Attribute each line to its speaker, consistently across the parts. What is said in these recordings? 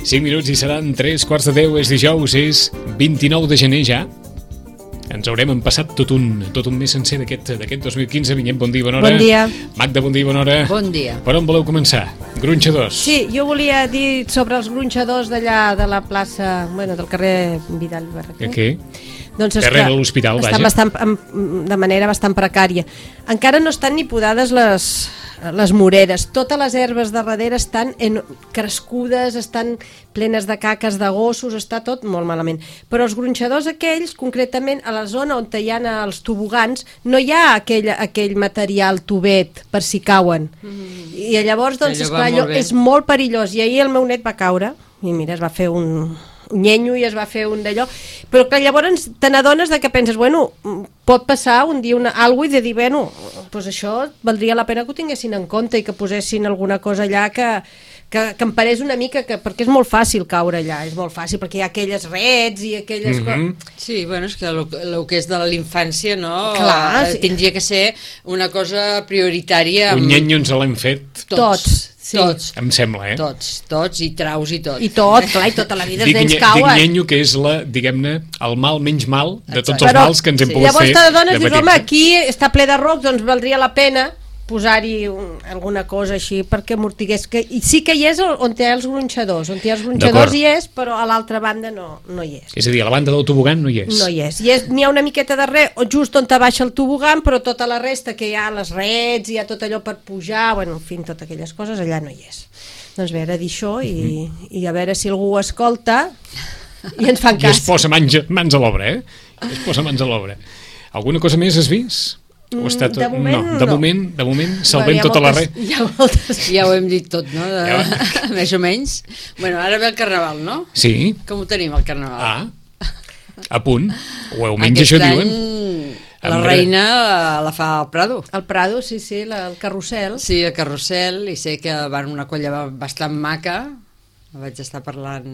Speaker 1: 5 minuts i seran 3:15, és dijous, és 29 de gener ja. Ens haurem empassat tot un mes sencer d'aquest 2015. Vinyet, bon dia, bona hora.
Speaker 2: Bon dia.
Speaker 1: Magda, bon dia, bona hora.
Speaker 3: Bon dia.
Speaker 1: Per on voleu començar? Gronxadors.
Speaker 2: Sí, jo volia dir sobre els gronxadors d'allà de la plaça, del carrer Vidal i Barraquer.
Speaker 1: Què?
Speaker 2: Doncs
Speaker 1: Darrere de l'hospital,
Speaker 2: vaja. De manera bastant precària. Encara no estan ni podades les moreres. Totes les herbes de darrere estan crescudes, estan plenes de caques de gossos, està tot molt malament. Però els gronxadors aquells, concretament a la zona on hi ha els tobogans, no hi ha aquell material tubet per si cauen. I llavors, esclar, és molt perillós. I ahir el meu net va caure, i mira, es va fer un nyenyo i es va fer un d'allò, però clar, llavors te n'adones que penses, pot passar un dia alguna cosa i de dir, doncs això valdria la pena que ho tinguessin en compte i que posessin alguna cosa allà que em parés una mica, perquè és molt fàcil caure allà, és molt fàcil, perquè hi ha aquelles rets i aquelles coses.
Speaker 3: Sí, és que el que és de la infància, no?
Speaker 2: Clar, sí.
Speaker 3: Tindria que ser una cosa prioritària.
Speaker 1: Un nyenyo ens l'hem fet.
Speaker 2: Tots. Sí.
Speaker 3: Tots.
Speaker 1: Em sembla,
Speaker 3: Tots, i traus i tot.
Speaker 2: I tot, clar, i tota la vida els nens cauen.
Speaker 1: Dic nyenyo, que és el mal menys mal de tots els mals que ens hem pogut fer.
Speaker 2: Llavors te dones i dius, home, aquí està ple de rocs, doncs valdria la pena posar-hi alguna cosa així perquè amortigués. I sí que hi és on hi ha els gronxadors. On hi ha els gronxadors hi és, però a l'altra banda no hi és.
Speaker 1: És a dir, a la banda del tobogan no hi és.
Speaker 2: No hi és. N'hi ha una miqueta darrere, just on te baixa el tobogan, però tota la resta, que hi ha les rets, hi ha tot allò per pujar, en fi, totes aquelles coses, allà no hi és. Doncs bé, era dir això i a veure si algú ho escolta i ens fan cas.
Speaker 1: I es posa mans a l'obra, Es posa mans a l'obra. Alguna cosa més has vist?
Speaker 2: De moment,
Speaker 1: de moment salvem tota la red.
Speaker 3: Ja ho hem dit tot, no? Més o menys. Ara ve el Carnaval, no?
Speaker 1: Sí.
Speaker 3: Com ho tenim, el Carnaval?
Speaker 1: A punt. O almenys això diuen.
Speaker 3: La reina la fa al Prado.
Speaker 2: Al Prado, sí, el carrusel.
Speaker 3: Sí, el carrusel, i sé que van una colla bastant maca. Vaig estar parlant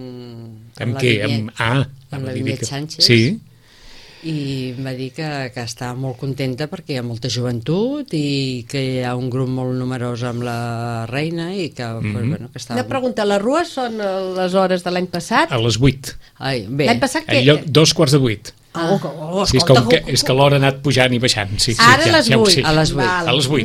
Speaker 1: amb què?
Speaker 3: Amb la Vinyet Sánchez.
Speaker 1: Sí.
Speaker 3: I em va dir que està molt contenta perquè hi ha molta joventut i que hi ha un grup molt numerós amb la reina i que, que està...
Speaker 2: Una pregunta, les rues són les hores de l'any passat?
Speaker 1: A les 8.
Speaker 2: L'any passat què?
Speaker 1: 2:15. És que l'hora ha anat pujant i baixant.
Speaker 2: Ara a les 8.
Speaker 3: A les
Speaker 1: 8.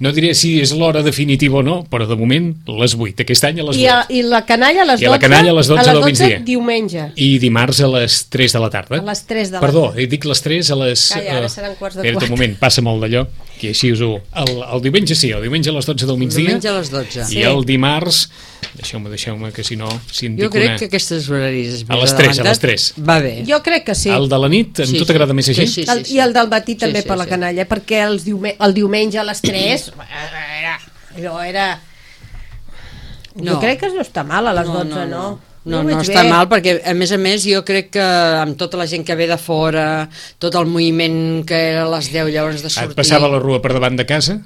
Speaker 1: No diré si és l'hora definitiva o no, però de moment les 8, aquest any a les 8.
Speaker 2: I la canalla a les 12?
Speaker 1: I la canalla a les 12 del migdia.
Speaker 2: Diumenge.
Speaker 1: I dimarts a les 3 de la tarda.
Speaker 2: A les 3 de la tarda.
Speaker 1: Perdó, dic les 3 a les...
Speaker 2: Calla, ara seran quarts de 4.
Speaker 1: Espera't un moment, passa molt d'allò, que així us ho... El diumenge sí, el diumenge a les 12 del migdia.
Speaker 3: El diumenge a les 12.
Speaker 1: I el dimarts... Deixeu-me, que si no...
Speaker 3: Jo crec que aquests horaris...
Speaker 1: A les 3.
Speaker 3: Va bé.
Speaker 2: Jo crec que sí.
Speaker 1: El de la nit, a tu t'agrada més així?
Speaker 2: Sí. I el del matí també per la canalla, perquè el diumenge a les 3... Allò era... Jo crec que no està mal a les 12, no?
Speaker 3: No està mal, perquè a més jo crec que amb tota la gent que ve de fora, tot el moviment que era a les 10 llavors de sortir...
Speaker 1: Et passava la rua per davant de casa?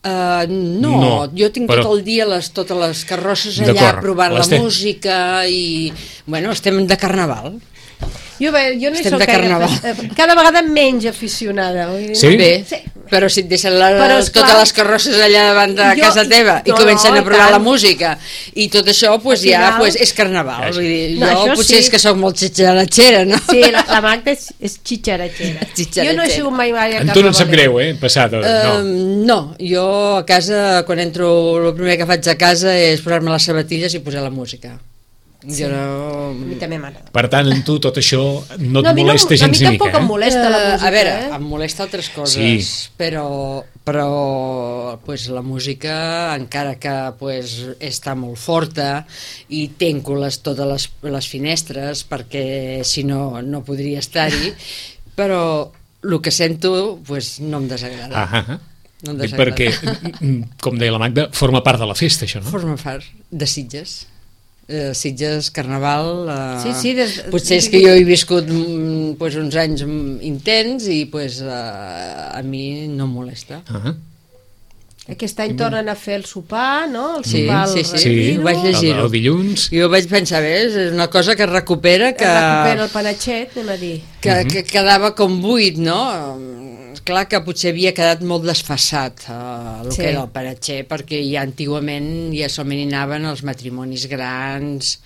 Speaker 3: No, jo tinc tot el dia totes les carrosses allà provant la música i, estem de Carnaval.
Speaker 2: Jo no hi soc cada vegada menys aficionada.
Speaker 1: Sí?
Speaker 3: Bé, però si et deixen totes les carrosses allà davant de casa teva i comencen a provar la música i tot això, és Carnaval. Jo potser és que soc molt xitxaratxera, no?
Speaker 2: Sí, la Magda és xitxaratxera. Jo no he sigut mai a Carnaval.
Speaker 1: En tu no et sap greu, passar?
Speaker 3: No, jo a casa, quan entro, el primer que faig a casa és posar-me les sabatilles i posar la música.
Speaker 2: Sí. A mi també m'agrada.
Speaker 1: Per tant, en tu tot això no et molesta gens ni mica.
Speaker 2: A mi tampoc em molesta la música.
Speaker 3: A veure, em molesta altres coses, però la música, encara que està molt forta i tanco totes les finestres perquè si no podria estar-hi, però el que sento no em desagrada.
Speaker 1: Perquè, com deia la Magda, forma part de la festa, això, no?
Speaker 3: Forma part de Sitges. Sitges, Carnaval, potser és
Speaker 2: sí.
Speaker 3: Que jo he viscut uns anys intens i a mi no em molesta.
Speaker 2: Aquest any tornen a fer el sopar, no? El
Speaker 3: sopar ho vaig llegir.
Speaker 1: El dilluns.
Speaker 3: Jo vaig pensar, és una cosa que recupera
Speaker 2: el panatxet, anem a dir.
Speaker 3: Que quedava com buit, no? Clar que potser havia quedat molt desfassat el
Speaker 2: Sí.
Speaker 3: que era el Panatxer, perquè ja antigament ja solament hi anaven els matrimonis grans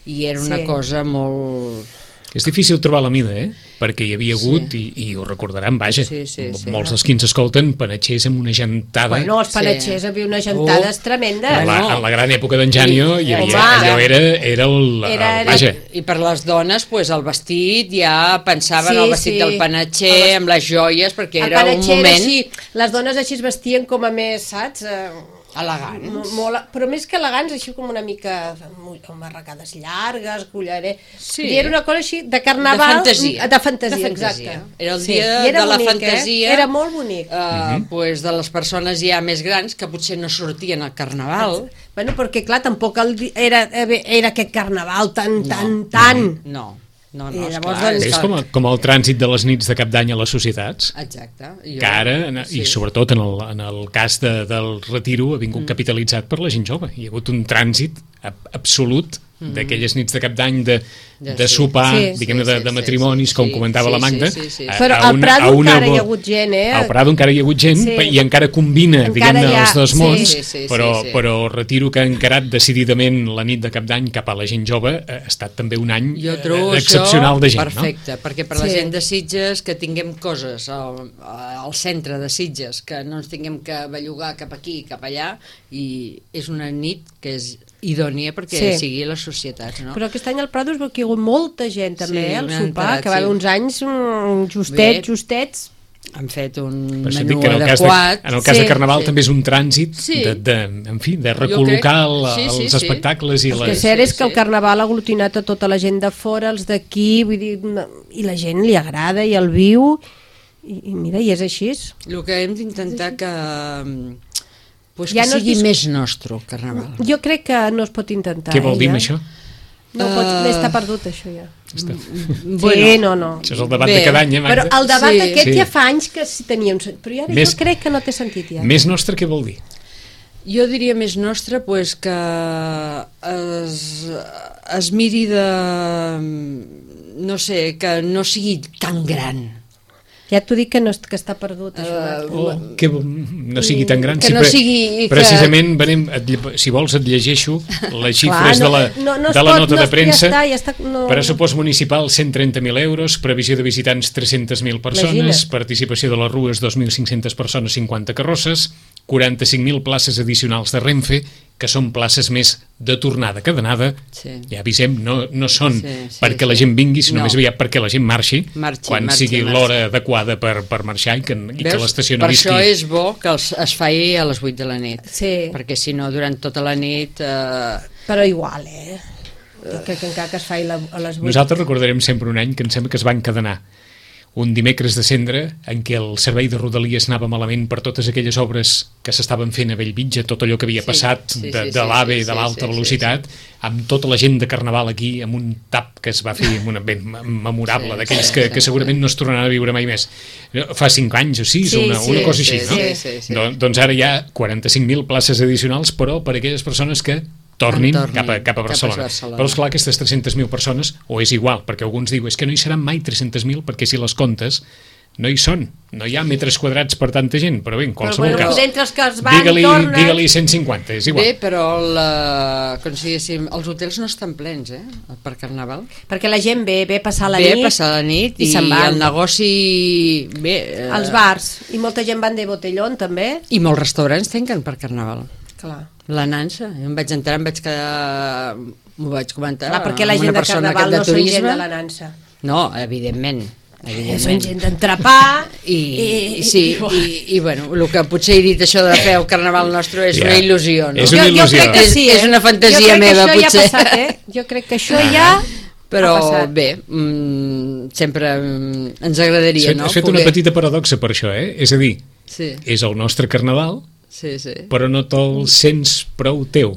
Speaker 3: i era una
Speaker 2: Sí.
Speaker 3: cosa molt...
Speaker 1: És difícil trobar la mida, perquè hi havia hagut, i ho recordaran, vaja,
Speaker 3: Sí.
Speaker 1: molts dels qui ens escolten, panatxers amb una gentada.
Speaker 2: Bueno, els panatxers havia unes gentades tremendes.
Speaker 1: En la gran època d'en Janio,
Speaker 3: I-
Speaker 1: allò era el... Vaja,
Speaker 3: I per les dones, pues, el vestit, ja pensaven
Speaker 2: Sí,
Speaker 3: el vestit
Speaker 2: sí.
Speaker 3: del Panatxer, amb les joies, perquè
Speaker 2: El
Speaker 3: era un
Speaker 2: panatxer era
Speaker 3: moment
Speaker 2: així, les dones així es vestien com a més, saps?
Speaker 3: elegant.
Speaker 2: Però més que elegants, així com una mica amb arracades llargues, collarer...
Speaker 3: Sí.
Speaker 2: I era una cosa així de carnaval...
Speaker 3: De fantasia.
Speaker 2: Exacte.
Speaker 3: Era el
Speaker 2: Sí.
Speaker 3: dia
Speaker 2: I era
Speaker 3: de la
Speaker 2: bonic,
Speaker 3: fantasia.
Speaker 2: Era molt bonic.
Speaker 3: Pues de les persones ja més grans que potser no sortien al carnaval.
Speaker 2: Bueno, perquè clar, tampoc era aquest carnaval tan...
Speaker 3: No,
Speaker 2: I llavors,
Speaker 3: esclar,
Speaker 2: doncs,
Speaker 1: és com el trànsit de les nits de cap d'any a les societats,
Speaker 3: Exacte.
Speaker 1: que ara, i sobretot en el cas del retiro, ha vingut capitalitzat per la gent jove. Hi ha hagut un trànsit absolut d'aquelles nits de cap d'any de sopar, diguem-ne, de matrimonis, com comentava la Magda.
Speaker 2: Però al Prado encara hi ha hagut gent,
Speaker 1: Al Prado encara hi ha hagut gent, i encara combina, diguem-ne, els dos mons, però el retiro que ha encarat decididament la nit de cap d'any cap a la gent jove ha estat també un any excepcional de gent.
Speaker 3: Perfecte, perquè per la gent de Sitges que tinguem coses al centre de Sitges, que no ens tinguem que bellugar cap aquí, cap allà, i és una nit que és idònia perquè sigui les societats, no?
Speaker 2: Però aquest any al Prado es veu que hi ha hagut molta gent també al sopar, que va haver uns anys justets.
Speaker 3: Han fet un
Speaker 1: menú
Speaker 3: adequat.
Speaker 1: En el cas de Carnaval també és un trànsit de recol·locar els espectacles i
Speaker 2: el que és cert és que el Carnaval ha aglutinat a tota la gent de fora, els d'aquí, vull dir, i la gent li agrada i el viu, i mira, i és així.
Speaker 3: El que hem d'intentar que sigui més nostre el Carnaval.
Speaker 2: Jo crec que no es pot intentar.
Speaker 1: Què vol dir això?
Speaker 2: No pot, està perdut això ja.
Speaker 1: Sí,
Speaker 2: no.
Speaker 1: Això és el debat de cada any,
Speaker 2: Però
Speaker 1: Magda?
Speaker 2: el debat aquest ja fa anys que sí tenia un sentit, però ara jo crec que no té sentit ja.
Speaker 1: Més nostre què vol dir?
Speaker 3: Jo diria més nostre que es miri de... no sé, que no sigui tan gran.
Speaker 2: Ja t'ho dic que està perdut, això.
Speaker 1: Que no sigui tan gran.
Speaker 3: Que no sigui...
Speaker 1: Precisament, si vols et llegeixo les xifres de la nota de premsa. Pressupost municipal 130.000 euros, previsió de visitants 300.000 persones, participació de les rues 2.500 persones, 50 carrosses, 45.000 places addicionals de Renfe, que són places més de tornada que d'anada. Ja avisem, no són perquè la gent vingui, sinó més aviat perquè la gent marxi quan sigui l'hora adequada per marxar i que l'estació no visqui.
Speaker 3: Per això és bo que es faci a les 8 de la nit, perquè si no durant tota la nit...
Speaker 2: Però igual, jo crec que encara que es faci a les 8...
Speaker 1: Nosaltres recordarem sempre un any que em sembla que es va encadenar un dimecres de cendre en què el servei de Rodalies anava malament per totes aquelles obres que s'estaven fent a Bellvitge, tot allò que havia passat de l'AVE de l'alta velocitat, amb tota la gent de Carnaval aquí, amb un tap que es va fer ben memorable, d'aquells que segurament no es tornaran a viure mai més. Fa 5 anys o 6, una cosa així, no? Doncs ara hi ha 45.000 places addicionals, però per a aquelles persones que tornin cap a Barcelona. Però esclar, aquestes 300.000 persones, o és igual, perquè alguns diuen que no hi seran mai 300.000, perquè si les comptes no hi són, no hi ha metres quadrats per tanta gent, però bé, en qualsevol cas
Speaker 2: entre els que es van
Speaker 1: digue-li 150, és igual.
Speaker 3: Bé, però com si diguéssim, els hotels no estan plens per Carnaval,
Speaker 2: perquè la gent ve a passar la nit
Speaker 3: i se'n va. El negoci
Speaker 2: els bars, i molta gent van de botellón també,
Speaker 3: i molts restaurants tanquen per Carnaval.
Speaker 2: Clar.
Speaker 3: La nansa, jo em vaig enterar, m'ho vaig comentar
Speaker 2: perquè la gent de Carnaval no són gent de la nansa.
Speaker 3: No, evidentment.
Speaker 2: Són gent d'entrepà
Speaker 3: i bueno, el que potser he dit això de fer el Carnaval nostre és una il·lusió, no?
Speaker 1: És una il·lusió.
Speaker 2: Jo crec que sí,
Speaker 3: és una fantasia meva, potser.
Speaker 2: Ja ha passat, jo crec que això ja
Speaker 3: però bé, sempre ens agradaria, no?
Speaker 1: Has fet una petita paradoxa per això, és a dir, és el nostre Carnaval, però no te'l sents prou teu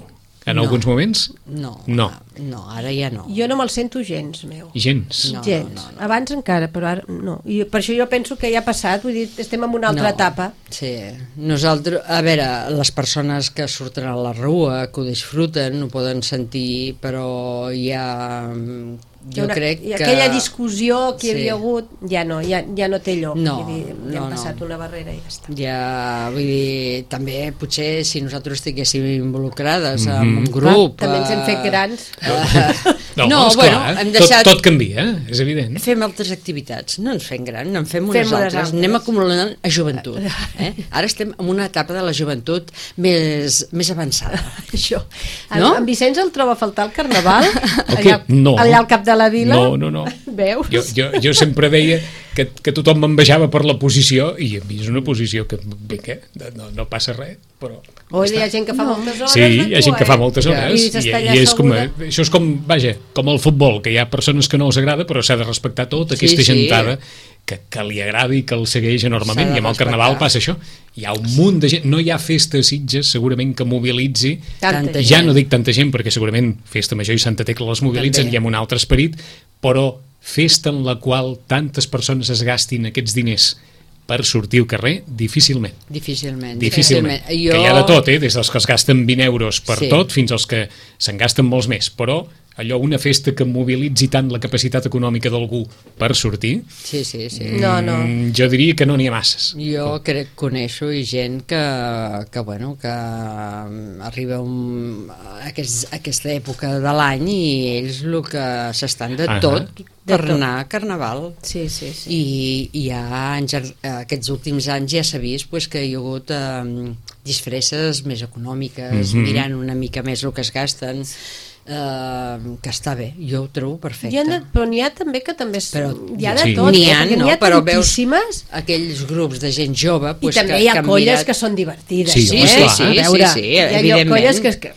Speaker 1: en alguns moments?
Speaker 3: No. No, ara ja no.
Speaker 2: Jo no me'l sento gens, meu.
Speaker 1: Gens?
Speaker 2: Gens. No. Abans encara, però ara no. I per això jo penso que ja ha passat, vull dir, estem en una altra etapa.
Speaker 3: Sí, nosaltres, a veure, les persones que surten a la rua, que ho disfruten, ho poden sentir, però ja... Jo crec que...
Speaker 2: Aquella discussió que hi havia hagut ja no té lloc.
Speaker 3: No,
Speaker 2: ja hem passat una barrera i ja està.
Speaker 3: Ja, vull dir, també potser si nosaltres estiguéssim involucrades en un grup...
Speaker 2: També ens hem fet grans.
Speaker 1: No, bueno, hem deixat... Tot canvia, és evident.
Speaker 3: Fem altres activitats, no ens fem grans, en fem unes altres. Anem acumulant a joventut. Ara estem en una etapa de la joventut més avançada.
Speaker 2: Això. En Vicenç el troba a faltar el carnaval?
Speaker 1: No.
Speaker 2: Allà al cap de la vila?
Speaker 1: No.
Speaker 2: Veus?
Speaker 1: Jo sempre deia que tothom m'envejava per la posició, i a mi és una posició que no passa res, però...
Speaker 2: Hi ha gent que fa moltes hores.
Speaker 1: Sí, hi ha gent que fa moltes hores, i és com, això és com, vaja, com el futbol, que hi ha persones que no els agrada, però s'ha de respectar tota aquesta gentada que li agrada i que el segueix enormement, i amb el carnaval passa això. Hi ha un munt de gent, no hi ha festa a Sitges segurament que mobilitzi, ja no dic tanta gent, perquè segurament Festa Major i Santa Tecla les mobilitzen i amb un altre esperit, però festa en la qual tantes persones es gastin aquests diners per sortir al carrer, difícilment.
Speaker 3: Difícilment.
Speaker 1: Que hi ha de tot, des dels que es gasten 20 euros per tot fins als que se'n gasten molts més, però allò, una festa que mobilitzi tant la capacitat econòmica d'algú per sortir,
Speaker 2: no.
Speaker 1: Jo diria que no n'hi ha masses.
Speaker 3: Jo coneixo gent que arriba a aquesta època de l'any i ells el que s'estan de tot per anar a Carnaval.
Speaker 2: Sí.
Speaker 3: I ja aquests últims anys ja s'ha vist que hi ha hagut disfresses més econòmiques, mirant una mica més el que es gasten, que està bé, jo ho trobo perfecte.
Speaker 2: Però n'hi ha també que també hi ha de tot,
Speaker 3: n'hi ha
Speaker 2: però
Speaker 3: veus aquells grups de gent jove
Speaker 2: i també hi ha colles que són divertides.
Speaker 1: Sí,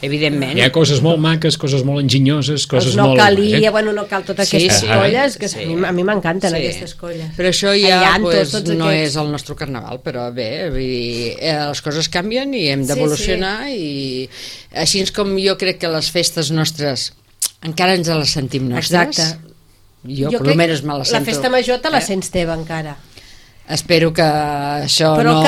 Speaker 3: evidentment.
Speaker 1: Hi ha coses molt maques, coses molt enginyoses, coses molt...
Speaker 2: No cal totes aquestes colles, que a mi m'encanten aquestes colles.
Speaker 3: Però això ja no és el nostre carnaval, però bé, les coses canvien i hem d'evolucionar, i així com jo crec que les festes nostres encara ens les sentim nostres.
Speaker 2: Exacte.
Speaker 3: Jo per almenys me les sento.
Speaker 2: La festa major te la sents teva encara.
Speaker 3: Espero que això no...
Speaker 2: Però el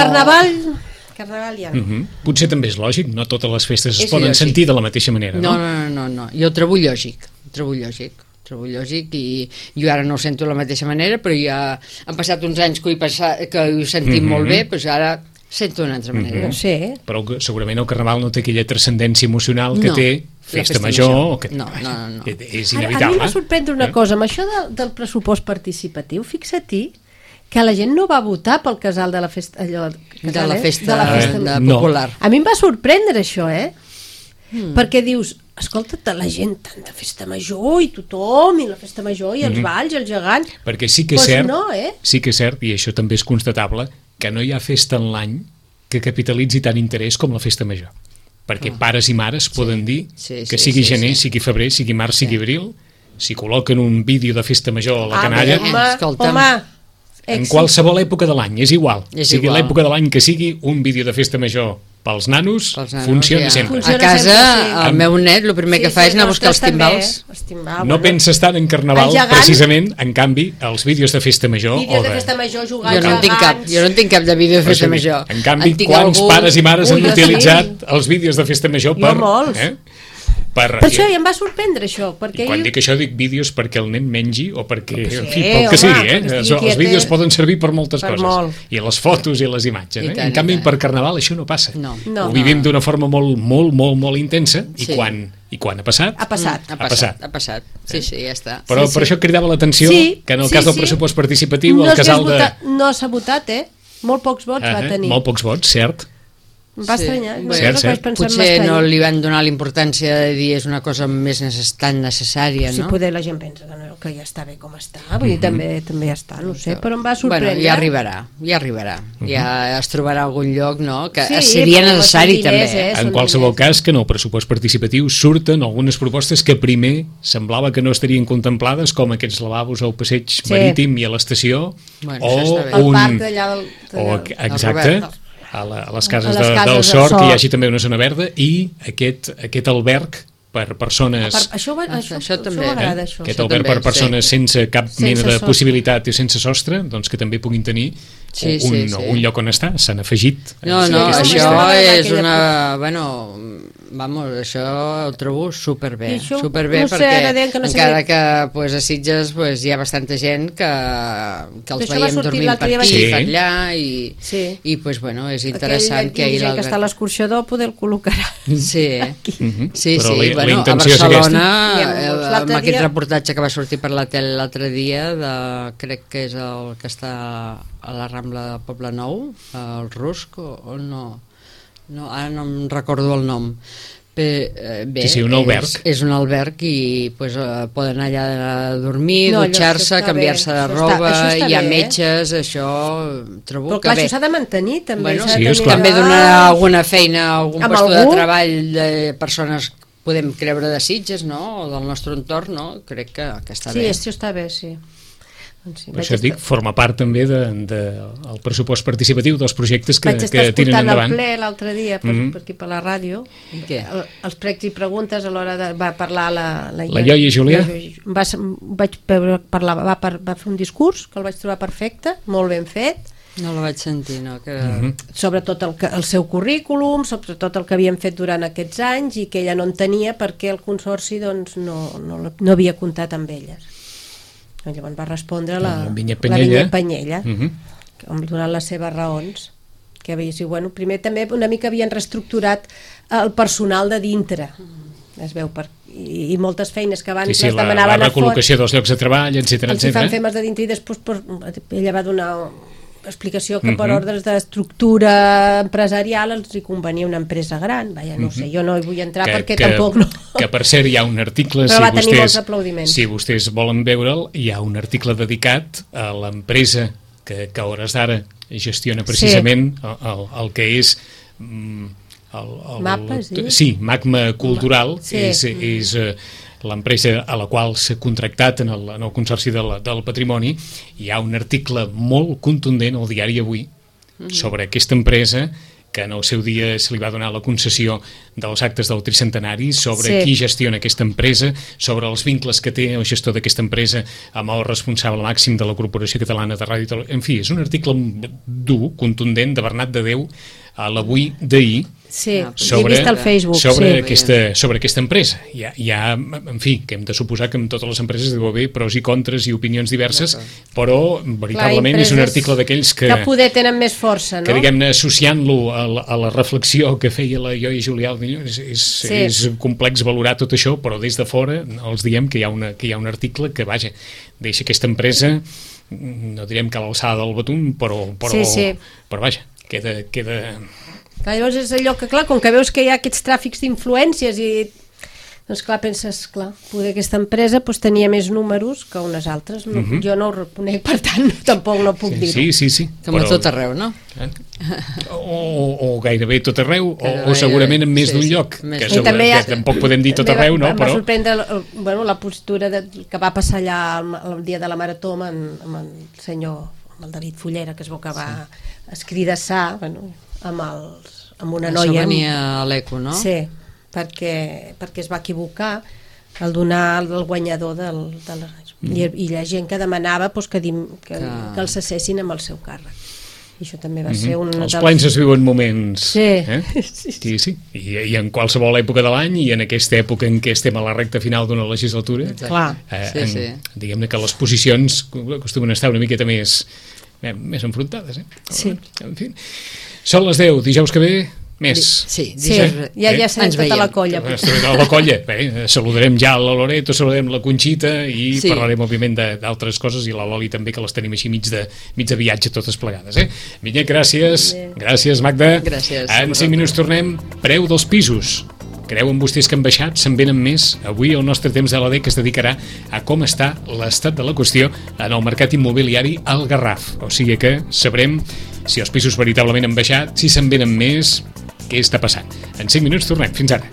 Speaker 2: carnaval ja no.
Speaker 1: Potser també és lògic, no totes les festes es poden sentir de la mateixa manera, no?
Speaker 3: No. Jo ho trobo lògic. Trobo lògic, i jo ara no ho sento de la mateixa manera, però ja han passat uns anys que ho sentim molt bé, doncs ara sento d'una altra manera.
Speaker 1: Però segurament el carnaval no té aquella transcendència emocional que té festa major.
Speaker 3: No.
Speaker 1: És inevitable.
Speaker 2: A mi m'ha sorprendre una cosa, amb això del pressupost participatiu, fixa-t'hi que la gent no va votar pel casal de la festa
Speaker 3: popular.
Speaker 2: A mi em va sorprendre això, perquè dius, escolta, la gent tant de festa major i tothom, i la festa major i els balls, el gegant,
Speaker 1: perquè sí que és cert, sí que és cert, i això també és constatable, que no hi ha festa en l'any que capitalitzi tant interès com la festa major, perquè pares i mares poden dir que sigui gener, sigui febrer, sigui març, sigui abril, si col·loquen un vídeo de festa major a la canalla, en qualsevol època de l'any, és igual, sigui l'època de l'any que sigui, un vídeo de festa major pels nanos funciona sempre.
Speaker 3: A casa, el meu net el primer que fa és anar a buscar els timbals.
Speaker 1: No pensa estar en carnaval, precisament, en canvi, els vídeos de festa major...
Speaker 2: Vídeos de festa major jugant
Speaker 3: jo no en tinc cap de vídeo de festa major.
Speaker 1: En canvi, quants pares i mares han utilitzat els vídeos de festa major per...
Speaker 2: Jo molts. Per això ja em va sorprendre això.
Speaker 1: I quan dic això dic vídeos perquè el nen mengi o perquè, en fi, pel que sigui, els vídeos poden servir per moltes coses, i les fotos i les imatges, en canvi per carnaval això no passa, ho vivim d'una forma molt intensa, i quan ha passat?
Speaker 2: Ha passat.
Speaker 3: Sí, ja està.
Speaker 1: Però per això cridava l'atenció que en el cas del pressupost participatiu el casal de...
Speaker 2: No s'ha votat, molt pocs vots va tenir.
Speaker 1: Molt pocs vots, cert.
Speaker 2: Em va estranyar.
Speaker 3: Potser no li van donar l'importància de dir és una cosa més tan necessària, no?
Speaker 2: Si poder la gent pensa que ja està bé com està, vull dir, també ja està, no sé, però em va sorprendre.
Speaker 3: Bueno, ja arribarà. Ja es trobarà algun lloc, no? Que seria necessari també.
Speaker 1: En qualsevol cas, que en el pressupost participatiu surten algunes propostes que primer semblava que no estarien contemplades, com aquests lavabos al passeig marítim i a l'estació, o
Speaker 2: el parc d'allà
Speaker 1: exacte, a les cases del Sort, que hi hagi també una zona verda, i aquest alberg per persones...
Speaker 2: Això
Speaker 3: també,
Speaker 2: m'agrada, això.
Speaker 1: Aquest alberg per persones sense cap mena de possibilitat i sense sostre, doncs que també puguin tenir un lloc on estar. S'han afegit.
Speaker 3: No, això és una... Vamos, això ho trobo superbé, perquè encara que a Sitges hi ha bastanta gent que els veiem dormint per aquí, per allà, i és interessant que ahir
Speaker 2: que està a l'escorxador poder el col·locarà.
Speaker 3: Sí, a Barcelona, amb aquest reportatge que va sortir per la tele l'altre dia, crec que és el que està a la Rambla de Poble Nou, el Rusc, o no, ara no em recordo el nom.
Speaker 1: Un alberg.
Speaker 3: És un alberg i poden allà dormir, dutxar-se, canviar-se de roba, hi ha metges, això trobo que bé.
Speaker 2: Però clar, això s'ha de mantenir també.
Speaker 3: També donar alguna feina, algun lloc de treball de persones, podem creure, de Sitges, o del nostre entorn, crec que està bé.
Speaker 2: Sí, això està bé, sí.
Speaker 1: Per això et dic, forma part també del pressupost participatiu dels projectes que tiren endavant.
Speaker 2: Vaig estar escoltant el ple l'altre dia per aquí per la ràdio, els pregs i preguntes a l'hora de... Va parlar la
Speaker 1: Ioia Julià.
Speaker 2: Vaig parlar, va fer un discurs que el vaig trobar perfecte, molt ben fet.
Speaker 3: No la vaig sentir, no?
Speaker 2: Sobre tot el seu currículum, sobre tot el que havien fet durant aquests anys i que ella no en tenia perquè el Consorci no havia comptat amb elles. Llavors va respondre la Vinyet Penyella, donant les seves raons, que havia sigut, primer també una mica havien reestructurat el personal de dintre, es veu, i moltes feines que abans les demanaven a fora.
Speaker 1: La recol·locació dels llocs de treball, etc.
Speaker 2: Els fan femes de dintre i després ella va donar explicació que per ordres d'estructura empresarial els hi convenia una empresa gran. No sé, jo no hi vull entrar perquè tampoc no...
Speaker 1: Que per cert hi ha un article, si vostès volen veure'l, hi ha un article dedicat a l'empresa que a hores d'ara gestiona precisament el que és... Magma Cultural, és l'empresa a la qual s'ha contractat en el Consorci del Patrimoni. Hi ha un article molt contundent al diari Avui sobre aquesta empresa, que en el seu dia se li va donar la concessió dels actes del tricentenari, sobre qui gestiona aquesta empresa, sobre els vincles que té el gestor d'aquesta empresa amb el responsable màxim de la Corporació Catalana de Ràdio. En fi, és un article dur, contundent, de Bernat de Déu, a l'Avui d'ahir, sobre aquesta empresa. Hi ha, en fi, que hem de suposar que en totes les empreses deu haver pros i contres i opinions diverses, però veritablement és un article d'aquells que
Speaker 2: poder tenen més força, no?
Speaker 1: Que, diguem-ne, associant-lo a la reflexió que feia la Ioia Julià, és complex valorar tot això, però des de fora els diem que hi ha un article que, vaja, deixa aquesta empresa, no direm que a l'alçada del Betum, però vaja, queda...
Speaker 2: Clar, llavors és allò que, clar, com que veus que hi ha aquests tràfics d'influències i... Doncs clar, penses, clar, poder aquesta empresa tenia més números que unes altres. Jo no ho reconec, per tant, tampoc no puc dir-ho.
Speaker 1: Sí.
Speaker 3: Com a tot arreu, no?
Speaker 1: O gairebé tot arreu, o segurament en més d'un lloc, que tampoc podem dir tot arreu, no?
Speaker 2: Em va sorprendre la postura que va passar allà el dia de la Marató amb el senyor, amb el David Fullera, que es veu que va escridassar amb una noia.
Speaker 3: Això venia a l'Eco, no?
Speaker 2: Sí, perquè es va equivocar al donar el guanyador i la gent que demanava que el cessessin amb el seu càrrec. I això també va ser un...
Speaker 1: Els plens es viuen moments.
Speaker 2: Sí.
Speaker 1: Sí. I en qualsevol època de l'any, i en aquesta època en què estem a la recta final d'una legislatura, diguem-ne que les posicions acostumen a estar una miqueta més enfrontades.
Speaker 2: Sí.
Speaker 1: En fi. Són les 10, dijous que ve... Més.
Speaker 2: Sí, ja serem tota la colla.
Speaker 1: La colla. Saludarem ja la Loreto, saludarem la Conxita i parlarem, òbviament, d'altres coses, i la Loli també, que les tenim així mig de viatge totes plegades. Vinyet, gràcies. Gràcies, Magda.
Speaker 3: Gràcies.
Speaker 1: En 5 minuts tornem. Preu dels pisos. Creuen vostès que han baixat? Se'n venen més? Avui el nostre temps de l'AD, que es dedicarà a com està l'estat de la qüestió en el mercat immobiliari al Garraf. O sigui que sabrem si els pisos veritablement han baixat, si se'n venen més, què està passant. En 5 minuts tornem. Fins ara.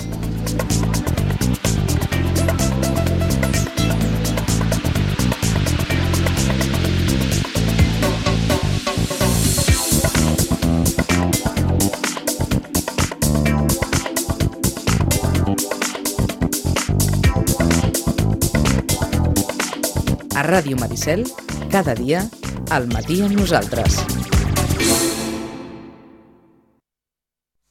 Speaker 4: A Ràdio Maricel, cada dia, al matí amb nosaltres.